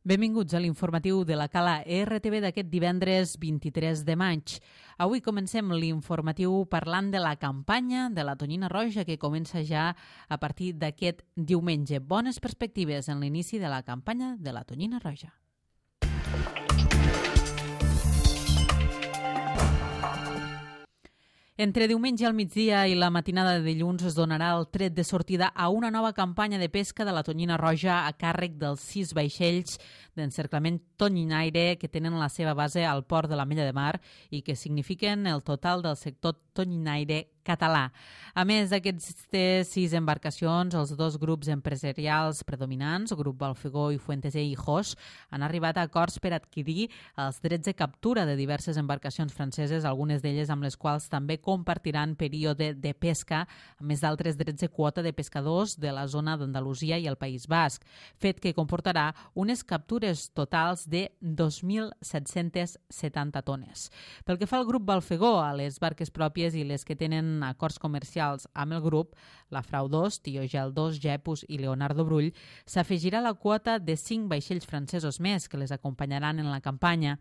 Benvinguts a l'informatiu de la Cala RTV d'aquest divendres 23 de maig. Avui comencem l'informatiu parlant de la campanya de la tonyina roja que comença ja a partir d'aquest diumenge. Bones perspectives en l'inici de la campanya de la tonyina roja. Entre diumenge al migdia i la matinada de dilluns es donarà el tret de sortida a una nova campanya de pesca de la tonyina roja a càrrec dels 6 vaixells d'encerclament tonyinaire que tenen la seva base al port de l'Ametlla de Mar i que signifiquen el total del sector tonyinaire català. A més d'aquestes 6 embarcacions, els 2 grups empresarials predominants, el grup Balfegó i Fuentes e Hijos, han arribat a acords per adquirir els drets de captura de diverses embarcacions franceses, algunes d'elles amb les quals també compartiran període de pesca, a més d'altres drets de quota de pescadors de la zona d'Andalusia i el País Basc, fet que comportarà unes captures totals de 2.770 tones. Pel que fa al grup Balfegó, a les barques pròpies i les que tenen acords comercials amb el grup, la Frau 2, Tiogel 2, Jepus i Leonardo Brull, s'afegirà la quota de 5 vaixells francesos més que les acompanyaran en la campanya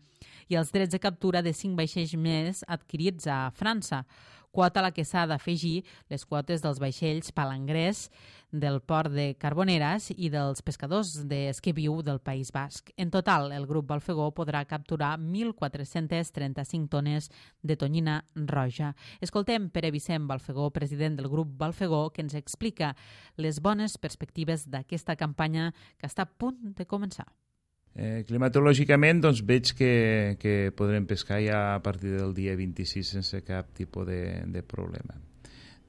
i els drets de captura de 5 vaixells més adquirits a França, quota a la que s'ha d'afegir les quotes dels vaixells palangrers del port de Carboneres i dels pescadors d'Esqueviu del País Basc. En total, el grup Balfegó podrà capturar 1.435 tones de tonyina roja. Escoltem Pere Vicent Balfegó, president del grup Balfegó, que ens explica les bones perspectives d'aquesta campanya que està a punt de començar. Climatològicament veig que podrem pescar ja a partir del dia 26 sense cap tipus de problema.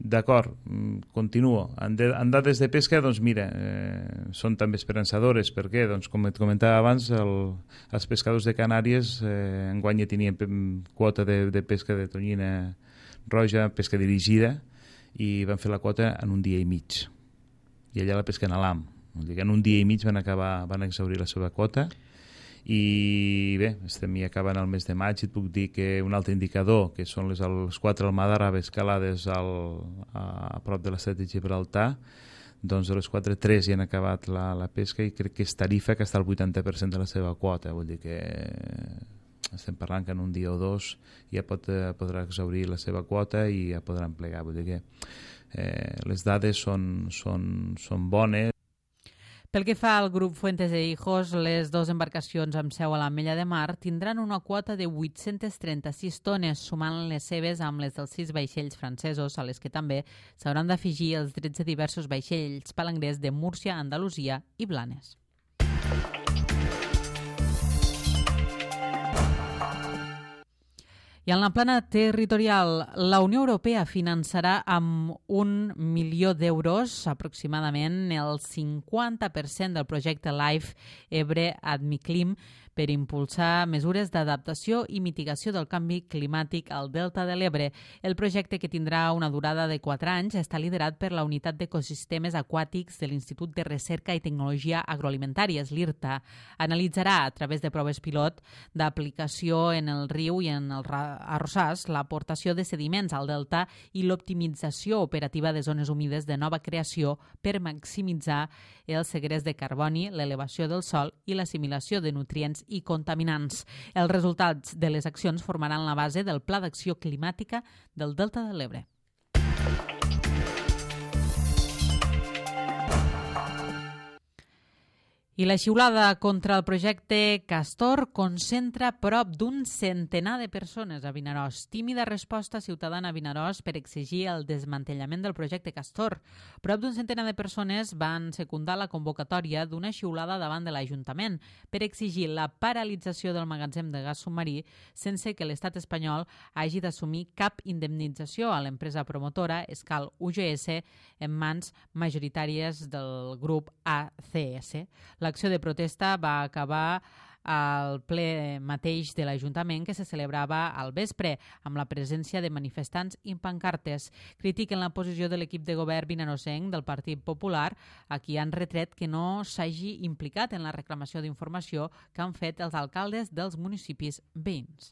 D'acord, continuo. En dades de pesca, són també esperançadores. Per què? Com et comentava abans, els pescadors de Canàries enguany ja tenien quota de pesca de tonyina roja, pesca dirigida, i van fer la quota en un dia i mig. I allà la pesca en alam. En un dia i mig van exhaurir la seva quota i bé, estem ja acabant el mes de maig i et puc dir que un altre indicador, que són les 4 almadraves calades a prop de l'estret de Gibraltar, doncs de les 4, 3 ja han acabat la pesca i crec que és Tarifa que està al 80% de la seva quota, vull dir que estem parlant que en un dia o 2 ja podrà exhaurir la seva quota i ja podran plegar, vull dir que les dades són bones. Pel que fa al grup Fuentes e Hijos, les 2 embarcacions amb seu a l'Ametlla de Mar tindran una quota de 836 tones, sumant les seves amb les dels 6 vaixells francesos, a les que també s'hauran d'afegir els drets de diversos vaixells palangrers de Múrcia, Andalusia i Blanes. I en la plana territorial, la Unió Europea finançarà amb 1 milió d'euros, aproximadament el 50% del projecte LIFE Ebre Admiclim, per impulsar mesures d'adaptació i mitigació del canvi climàtic al Delta de l'Ebre. El projecte, que tindrà una durada de 4 anys, està liderat per la Unitat d'Ecosistemes Aquàtics de l'Institut de Recerca i Tecnologia Agroalimentàries, l'IRTA. Analitzarà, a través de proves pilot d'aplicació en el riu i en els arrossars, l'aportació de sediments al delta i l'optimització operativa de zones humides de nova creació per maximitzar el segrest de carboni, l'elevació del sòl i l'assimilació de nutrients i contaminants. Els resultats de les accions formaran la base del Pla d'Acció Climàtica del Delta de l'Ebre. I la xiulada contra el projecte Castor concentra prop d'un centenar de persones a Vinaròs. Tímida resposta ciutadana a Vinaròs per exigir el desmantellament del projecte Castor. Prop d'un centenar de persones van secundar la convocatòria d'una xiulada davant de l'Ajuntament per exigir la paralització del magatzem de gas submarí sense que l'estat espanyol hagi d'assumir cap indemnització a l'empresa promotora Escal UGS en mans majoritàries del grup ACS. L'acció de protesta va acabar al ple mateix de l'Ajuntament que se celebrava al vespre, amb la presència de manifestants i pancartes. Critiquen la posició de l'equip de govern vinaròsenc del Partit Popular, a qui han retret que no s'hagi implicat en la reclamació d'informació que han fet els alcaldes dels municipis veïns.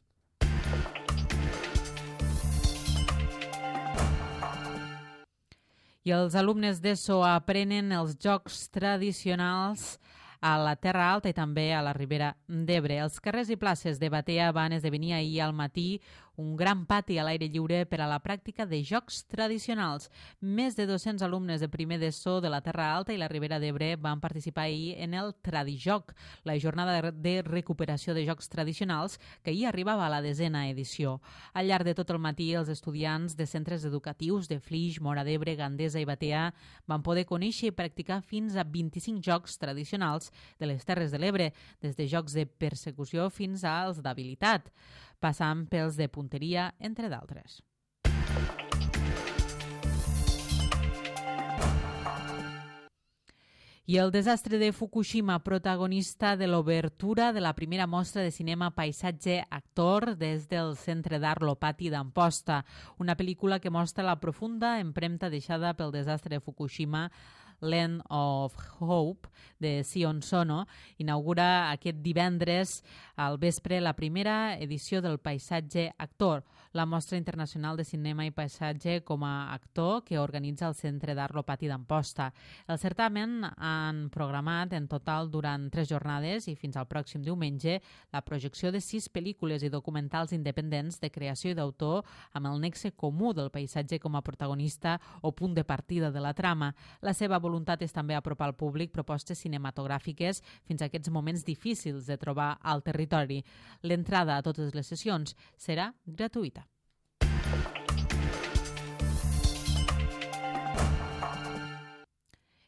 I els alumnes d'ESO aprenen els jocs tradicionals a la Terra Alta i també a la Ribera d'Ebre. Els carrers i places de Batea van esdevenir ahir al matí un gran pati a l'aire lliure per a la pràctica de jocs tradicionals. Més de 200 alumnes de primer d'ESO de la Terra Alta i la Ribera d'Ebre van participar ahir en el Tradijoc, la jornada de recuperació de jocs tradicionals que ahir arribava a la 10a edició. Al llarg de tot el matí, els estudiants de centres educatius de Flix, Móra d'Ebre, Gandesa i Batea van poder conèixer i practicar fins a 25 jocs tradicionals de les Terres de l'Ebre, des de jocs de persecució fins als d'habilitat, passant pels de punteria, entre d'altres. I el desastre de Fukushima, protagonista de l'obertura de la primera mostra de cinema Paisatge Actor des del Centre d'Art Lopati d'Amposta, una pel·lícula que mostra la profunda empremta deixada pel desastre de Fukushima. Land of Hope, de Sion Sono, inaugura aquest divendres al vespre la primera edició del Paisatge Actor, la mostra internacional de cinema i paisatge com a actor que organitza el Centre d'Art Lopati d'Amposta. El certamen han programat en total durant 3 jornades i fins al pròxim diumenge la projecció de 6 pel·lícules i documentals independents de creació i d'autor amb el nexe comú del paisatge com a protagonista o punt de partida de la trama. La seva voluntat és també apropar al públic propostes cinematogràfiques fins a aquests moments difícils de trobar al territori. L'entrada a totes les sessions serà gratuïta.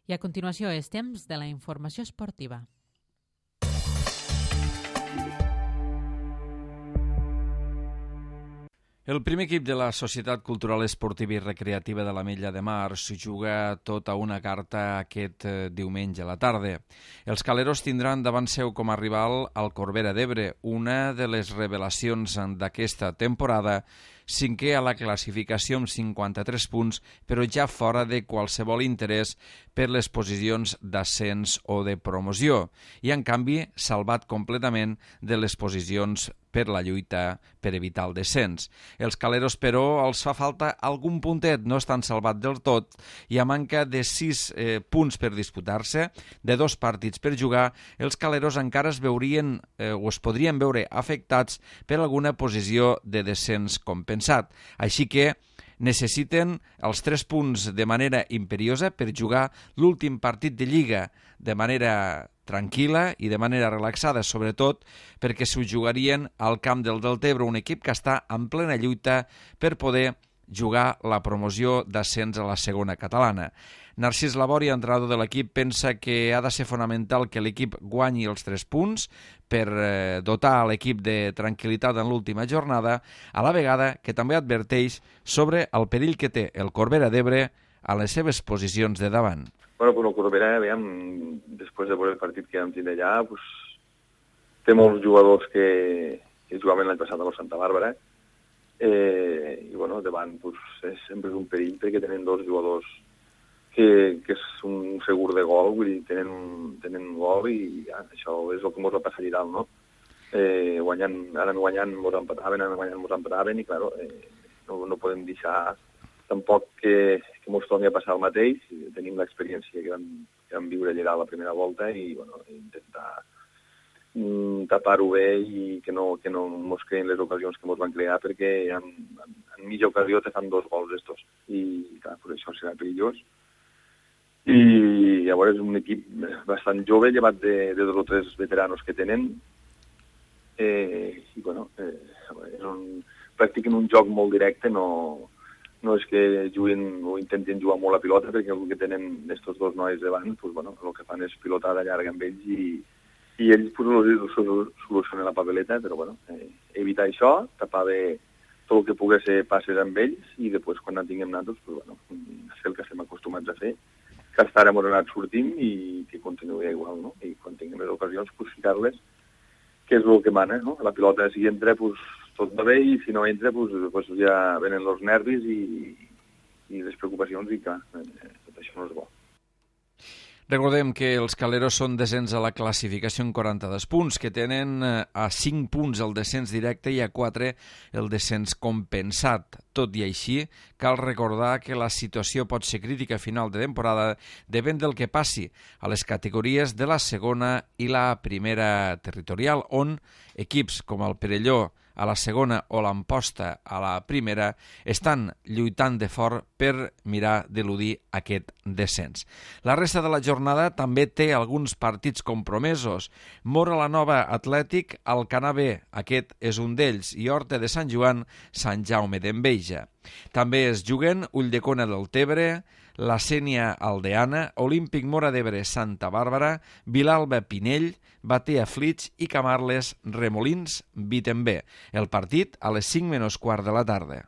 I a continuació és temps de la informació esportiva. El primer equip de la Societat Cultural Esportiva i Recreativa de l'Ametlla de Mar s'hi juga tota una carta aquest diumenge a la tarda. Els caleros tindran davant seu com a rival al Corbera d'Ebre, una de les revelacions d'aquesta temporada, 5è a la classificació amb 53 punts, però ja fora de qualsevol interès per les posicions d'ascens o de promoció, i en canvi salvat completament de les posicions per la lluita per evitar el descens. Els caleros, però, els fa falta algun puntet, no estan salvats del tot, i a manca de 6 punts per disputar-se, de 2 partits per jugar, els caleros encara es veurien o es podrien veure afectats per alguna posició de descens compensat. Així que necessiten els 3 punts de manera imperiosa per jugar l'últim partit de Lliga de manera tranquil·la i de manera relaxada, sobretot perquè s'ho jugarien al camp del Deltebre, un equip que està en plena lluita per poder jugar la promoció d'ascens a la segona catalana. Narcís Labori, entrenador de l'equip, pensa que ha de ser fonamental que l'equip guanyi els 3 punts per dotar l'equip de tranquil·litat en l'última jornada, a la vegada que també adverteix sobre el perill que té el Corbera d'Ebre a les seves posicions de davant. Bueno, però el Corbera, després de veure el partit que vam tindre allà, té molts jugadors que jugaven l'any passat a la Santa Bàrbara, i davant sempre és un perill perquè tenen 2 jugadors que és un segur de gol, vull dir, tenen gol i això és el que ens va passar allà dalt, no? Ara guanyant ens empataven i, clar, no podem deixar tampoc que ens torni a passar el mateix. Tenim l'experiència que vam viure allà dalt la primera volta i intentar tapar-ho bé i que no ens creen les ocasions que ens van crear, perquè en mitja ocasió te fan 2 gols estos i clar, per això serà perillós. I llavors és un equip bastant jove, llevat de 2 o 3 veteranos que tenen, i practiquen un joc molt directe, no és que juguin o intentin jugar molt a pilota, perquè el que tenen estos 2 nois davant, el que fan és pilotada llarga amb ells i ells solucionen la papeleta, però evitar això, tapar bé tot el que pugui ser passes amb ells i després quan en tinguem nosaltres, fer el que estem acostumats a fer, que hasta ara hem anat sortint i que continuï igual, no? I quan tinguem les ocasions, ficar-les, que és el que mana, no? La pilota, si entra, tot va bé, i si no entra, ja venen els nervis i les preocupacions i clar, tot això no és bo. Recordem que els Caleros són descens a la classificació en 42 punts, que tenen a 5 punts el descens directe i a 4 el descens compensat. Tot i així, cal recordar que la situació pot ser crítica a final de temporada depèn del que passi a les categories de la segona i la primera territorial, on equips com el Perelló a la segona o l'Amposta a la primera estan lluitant de fort per mirar d'eludir aquest descens. La resta de la jornada també té alguns partits compromesos. Móra la Nova Atlètic, Alcanar B, aquest és un d'ells, i Horta de Sant Joan, Sant Jaume d'Enveja. També es juguen Ulldecona del Tebre, la Sénia Aldeana, Olímpic Móra d'Ebre Santa Bàrbara, Vilalba Pinell, Batea Flix i Camarles Remolins Vitembé. El partit a les 5:15 de la tarda.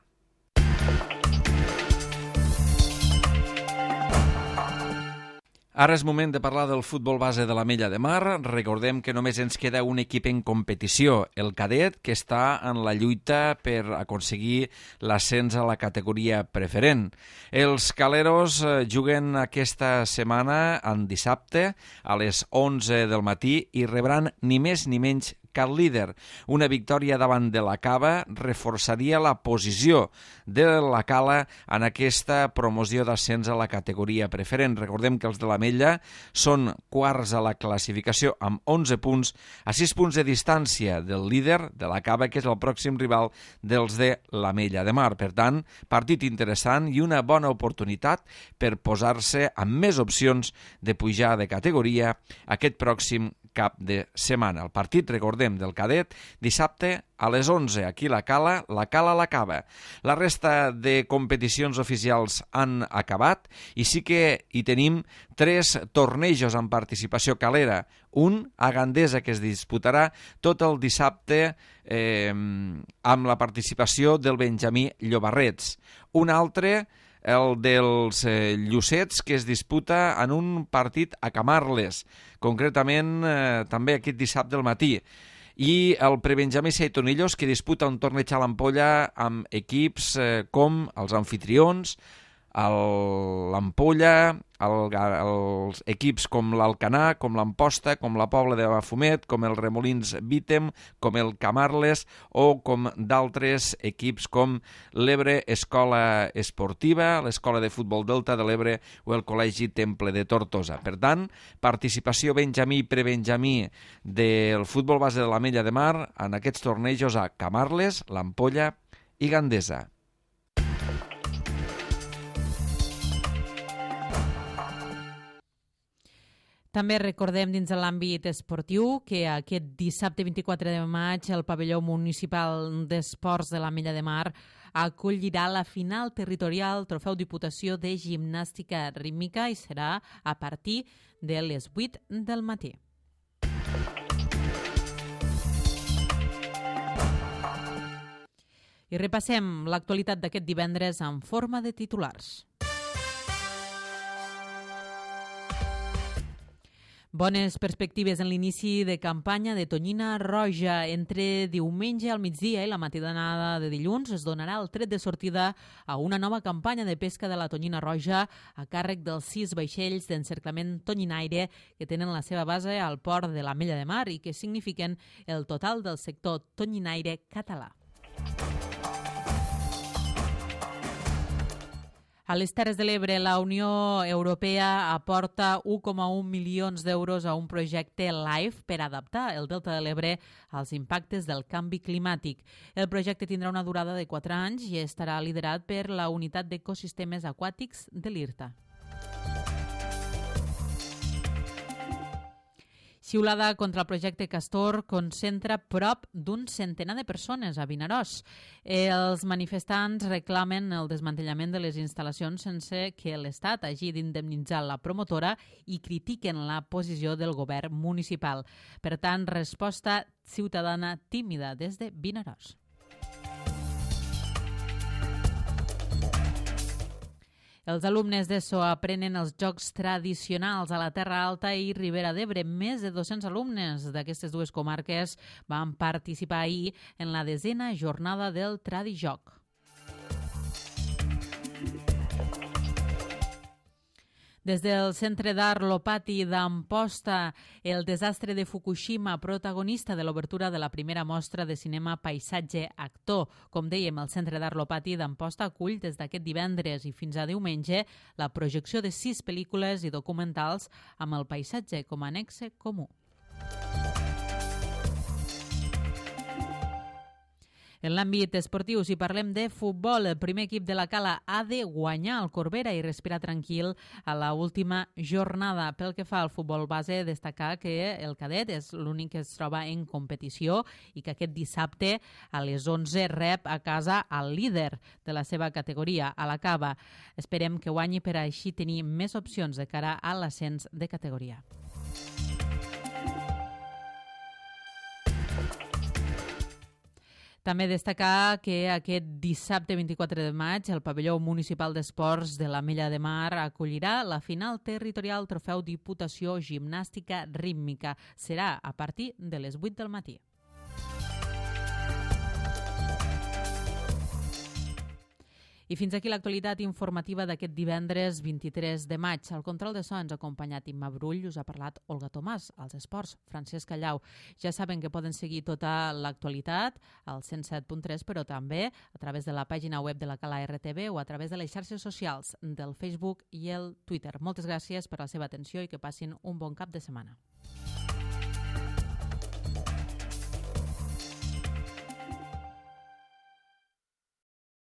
Ara és moment de parlar del futbol base de l'Ametlla de Mar. Recordem que només ens queda un equip en competició, el cadet, que està en la lluita per aconseguir l'ascens a la categoria preferent. Els Caleros juguen aquesta setmana en dissabte a les 11 del matí i rebran ni més ni menys que el líder. Una victòria davant de la Cava reforçaria la posició de la Cala en aquesta promoció d'ascens a la categoria preferent. Recordem que els de l'Ametlla són quarts a la classificació amb 11 punts, a 6 punts de distància del líder de la Cava, que és el pròxim rival dels de l'Ametlla de Mar. Per tant, partit interessant i una bona oportunitat per posar-se amb més opcions de pujar de categoria aquest pròxim cap de setmana. El partit, recordem, del cadet, dissabte a les 11, aquí la Cala la Cava. La resta de competicions oficials han acabat i sí que hi tenim 3 tornejos en participació calera. Un a Gandesa, que es disputarà tot el dissabte amb la participació del Benjamí Llobarrets. Un altre, el dels Llucets, que es disputa en un partit a Camarles, concretament també aquest dissabte al matí. I el Prebenjamí Seitonillos, que disputa un torneig a l'Ampolla amb equips com els Amfitrions, l'Ampolla, els equips com l'Alcanar, com l'Amposta, com la Pobla de Mafumet, com el Remolins Vitem, com el Camarles o com d'altres equips com l'Ebre Escola Esportiva, l'Escola de Futbol Delta de l'Ebre o el Col·legi Temple de Tortosa. Per tant, participació benjamí i prebenjamí del futbol base de l'Ametlla de Mar en aquests tornejos a Camarles, l'Ampolla i Gandesa. També recordem dins de l'àmbit esportiu que aquest dissabte 24 de maig el pavelló municipal d'esports de l'Ametlla de Mar acollirà la final territorial Trofeu Diputació de Gimnàstica Rítmica i serà a partir de les 8 del matí. I repassem l'actualitat d'aquest divendres en forma de titulars. Bones perspectives en l'inici de campanya de tonyina roja. Entre diumenge al migdia i la matinada de dilluns es donarà el tret de sortida a una nova campanya de pesca de la tonyina roja a càrrec dels 6 vaixells d'encerclament tonyinaire que tenen la seva base al port de l'Ametlla de Mar i que signifiquen el total del sector tonyinaire català. A les Terres de l'Ebre, la Unió Europea aporta 1,1 milions d'euros a un projecte LIFE per adaptar el Delta de l'Ebre als impactes del canvi climàtic. El projecte tindrà una durada de 4 anys i estarà liderat per la Unitat d'Ecosistemes Aquàtics de l'IRTA. Xiulada contra el projecte Castor concentra prop d'un centenar de persones a Vinaròs. Els manifestants reclamen el desmantellament de les instal·lacions sense que l'Estat hagi d'indemnitzar la promotora i critiquen la posició del govern municipal. Per tant, resposta ciutadana tímida des de Vinaròs. Els alumnes d'ESO aprenen els jocs tradicionals a la Terra Alta i Ribera d'Ebre. Més de 200 alumnes d'aquestes dues comarques van participar ahir en la 10ª jornada del Tradijoc. Des del Centre d'Art Lopati d'Amposta, el desastre de Fukushima, protagonista de l'obertura de la primera mostra de cinema Paisatge Actor. Com dèiem, el Centre d'Art Lopati d'Amposta acull des d'aquest divendres i fins a diumenge la projecció de 6 pel·lícules i documentals amb el paisatge com a annexe comú. En l'àmbit esportiu, si parlem de futbol, el primer equip de la Cala ha de guanyar el Corbera i respirar tranquil a la última jornada. Pel que fa al futbol base, destacar que el cadet és l'únic que es troba en competició i que aquest dissabte a les 11 rep a casa el líder de la seva categoria, a la Cava. Esperem que guanyi per així tenir més opcions de cara a l'ascens de categoria. També destacar que aquest dissabte 24 de maig el pavelló municipal d'esports de l'Ametlla de Mar acollirà la final territorial Trofeu Diputació Gimnàstica Rítmica. Serà a partir de les 8 del matí. I fins aquí l'actualitat informativa d'aquest divendres 23 de maig. Al control de so ens ha acompanyat Imma Brull, us ha parlat Olga Tomàs, als esports, Francesc Callau. Ja saben que poden seguir tota l'actualitat al 107.3, però també a través de la pàgina web de la Cala RTV o a través de les xarxes socials del Facebook i el Twitter. Moltes gràcies per la seva atenció i que passin un bon cap de setmana.